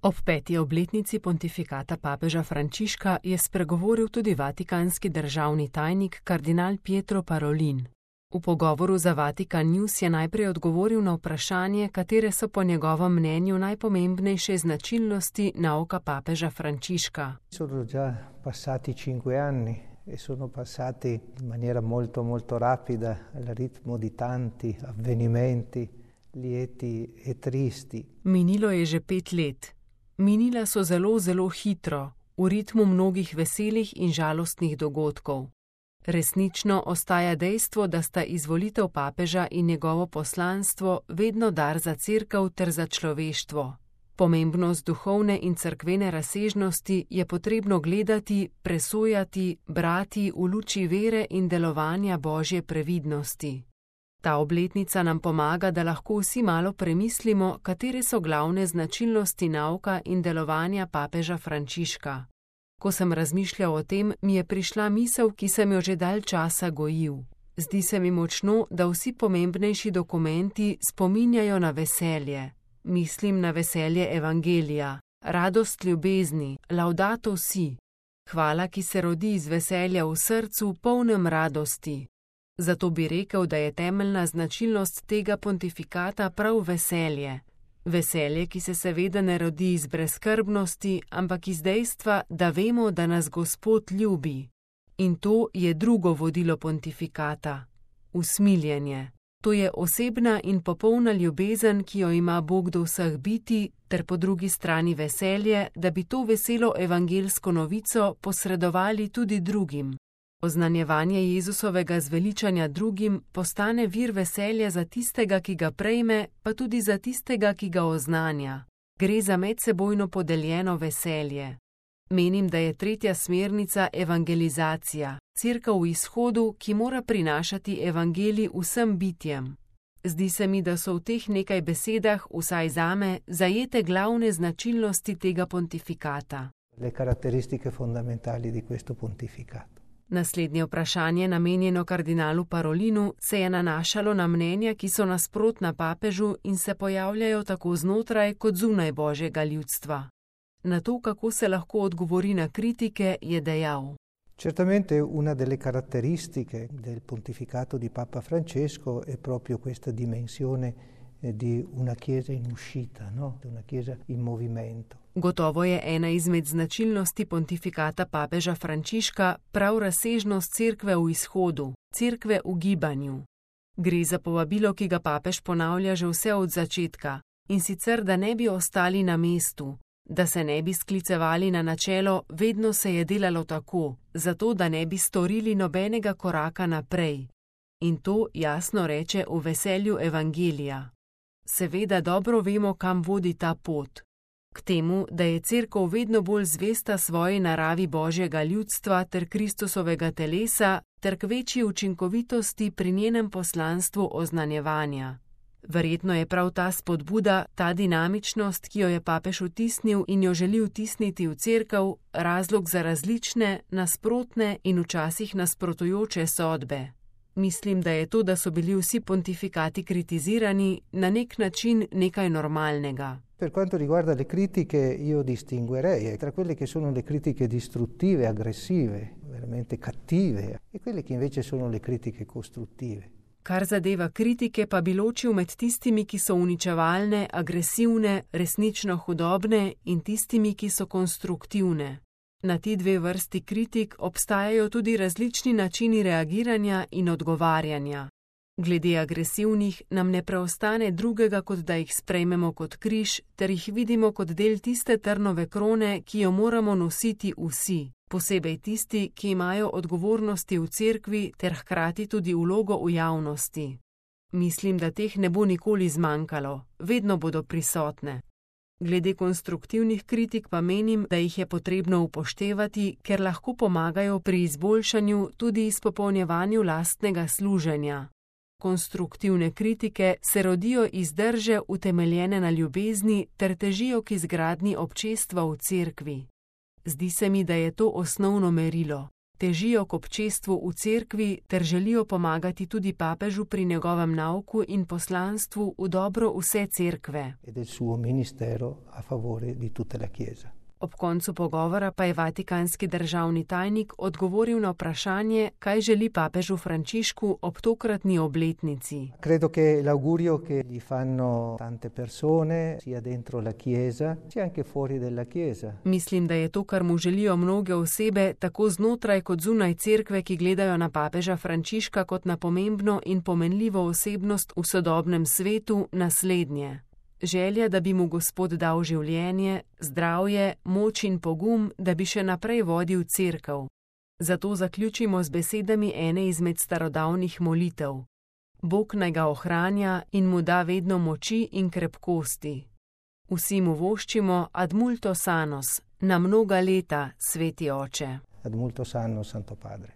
Ob 5. obletnici pontifikata papeža Frančiška je spregovoril tudi vatikanski državni tajnik kardinal Pietro Parolin. V pogovoru za Vatikan News je najprej odgovoril na vprašanje, katere so po njegovem mnenju najpomembnejše značilnosti nauka papeža Frančiška. Sono già passati 5 anni e sono passati in maniera molto rapida al ritmo di tanti avvenimenti lieti e tristi. Minilo je že 5 let. Minila so zelo hitro, v ritmu mnogih veselih in žalostnih dogodkov. Resnično ostaja dejstvo, da sta izvolitev papeža in njegovo poslanstvo vedno dar za cerkev ter za človeštvo. Pomembnost duhovne in cerkvene razsežnosti je potrebno gledati, presojati, brati v luči vere in delovanja Božje previdnosti. Ta obletnica nam pomaga, da lahko vsi malo premislimo, katere so glavne značilnosti nauka in delovanja papeža Frančiška. Ko sem razmišljal o tem, mi je prišla misel, ki sem jo že dalj časa gojil. Zdi se mi močno, da vsi pomembnejši dokumenti spominjajo na veselje. Mislim na veselje evangelija, radost ljubezni, laudato si. Hvala, ki se rodi iz veselja v srcu, polnem radosti. Zato bi rekel, da je temeljna značilnost tega pontifikata prav veselje. Veselje, ki se seveda ne rodi iz brezskrbnosti, ampak iz dejstva, da vemo, da nas Gospod ljubi. In to je drugo vodilo pontifikata. Usmiljenje. To je osebna in popolna ljubezen, ki jo ima Bog do vseh bitij, ter po drugi strani veselje, da bi to veselo evangelsko novico posredovali tudi drugim. Oznanjevanje Jezusovega zveličanja drugim postane vir veselja za tistega, ki ga prejme, pa tudi za tistega, ki ga oznanja. Gre za medsebojno podeljeno veselje. Menim, da je 3. smernica evangelizacija, cerkev v izhodu, ki mora prinašati evangelij vsem bitjem. Zdi se mi, da so v teh nekaj besedah, vsaj zame, zajete glavne značilnosti tega pontifikata. Le caratteristiche fondamentali di questo pontificato. Naslednje vprašanje, namenjeno kardinalu Parolinu, se je nanašalo na mnenja, ki so nasprotna papežu in se pojavljajo tako znotraj kot zunaj Božjega ljudstva. Na to, kako se lahko odgovori na kritike, je dejal. Certamente una delle caratteristiche del pontificato di Papa Francesco è proprio questa dimensione di una chiesa in uscita, no? Una chiesa in movimento. Gotovo je ena izmed značilnosti pontifikata papeža Frančiška prav razsežnost cerkve v izhodu, cerkve v gibanju. Gre za povabilo, ki ga papež ponavlja že vse od začetka, in sicer, da ne bi ostali na mestu, da se ne bi sklicevali na načelo vedno se je delalo tako, zato da ne bi storili nobenega koraka naprej. In to jasno reče v veselju evangelija. Seveda dobro vemo, kam vodi ta pot. K temu, da je cerkev vedno bolj zvesta svoji naravi Božjega ljudstva ter Kristusovega telesa, ter k večji učinkovitosti pri njenem poslanstvu oznanjevanja. Verjetno je prav ta spodbuda, ta dinamičnost, ki jo je papež vtisnil in jo želi vtisniti v cerkev, razlog za različne, nasprotne in včasih nasprotujoče sodbe. Mislim, da je to, da so bili vsi pontifikati kritizirani, na nek način nekaj normalnega. Per quanto riguarda le critiche, io distinguerei tra quelle che sono le critiche distruttive, aggressive, veramente cattive, e quelle che invece sono le critiche costruttive. Kar zadeva kritike, pa bi ločil med tistimi, ki so uničevalne, agresivne, resnično hudobne, in tistimi, ki so konstruktivne. Na ti dve vrsti kritik obstajajo tudi različni načini reagiranja in odgovarjanja. Glede agresivnih nam ne preostane drugega, kot da jih sprejmemo kot križ, ter jih vidimo kot del tiste trnove krone, ki jo moramo nositi vsi, posebej tisti, ki imajo odgovornosti v cerkvi ter hkrati tudi vlogo v javnosti. Mislim, da teh ne bo nikoli zmanjkalo, vedno bodo prisotne. Glede konstruktivnih kritik pa menim, da jih je potrebno upoštevati, ker lahko pomagajo pri izboljšanju, tudi izpopolnjevanju lastnega služenja. Konstruktivne kritike se rodijo iz drže utemeljene na ljubezni ter težijo k izgradnji občestva v cerkvi. Zdi se mi, da je to osnovno merilo. Težijo k občestvu v cerkvi ter želijo pomagati tudi papežu pri njegovem nauku in poslanstvu v dobro vse cerkve. E del suo ministero a favore di tutta la Chiesa. Ob koncu pogovora pa je vatikanski državni tajnik odgovoril na vprašanje, kaj želi papežu Frančišku ob tokratni obletnici. Credo che l'augurio che gli fanno tante persone, sia dentro la Chiesa, sia anche fuori della Chiesa. Mislim, da je to, kar mu želijo mnoge osebe, tako znotraj kot zunaj cerkve, ki gledajo na papeža Frančiška kot na pomembno in pomenljivo osebnost v sodobnem svetu, naslednje. Želja, da bi mu Gospod dal življenje, zdravje, moč in pogum, da bi še naprej vodil cerkev. Zato zaključimo z besedami ene izmed starodavnih molitev. Bog naj ga ohranja in mu da vedno moči in krepkosti. Vsi mu voščimo ad multos annos, na mnoga leta, sveti oče. Ad multos annos, Santo Padre.